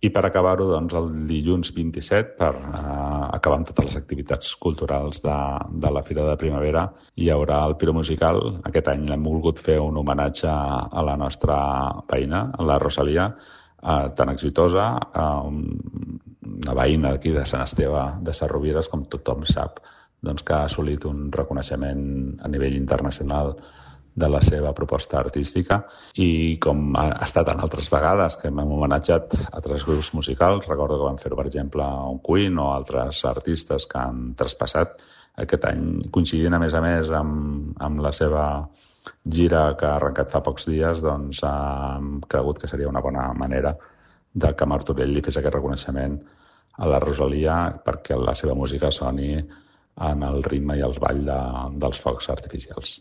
I per acabar-ho, doncs, el dilluns 27, per acabar amb totes les activitats culturals de la Fira de Primavera, hi haurà el Piro Musical. Aquest any l'hem volgut fer un homenatge a la nostra veïna, la Rosalia, tan exitosa, una veïna d'aquí de Sant Esteve de Sarrovires, com tothom sap, doncs, que ha assolit un reconeixement a nivell internacional de la seva proposta artística, i com ha estat en altres vegades que hem homenatjat a altres grups musicals, recordo que vam fer, per exemple, un Queen o altres artistes que han traspassat aquest any, coincidint a més amb la seva gira que ha arrencat fa pocs dies, doncs hem cregut que seria una bona manera de que Martorell li fes aquest reconeixement a la Rosalia perquè la seva música soni en el ritme i el ball dels focs artificials.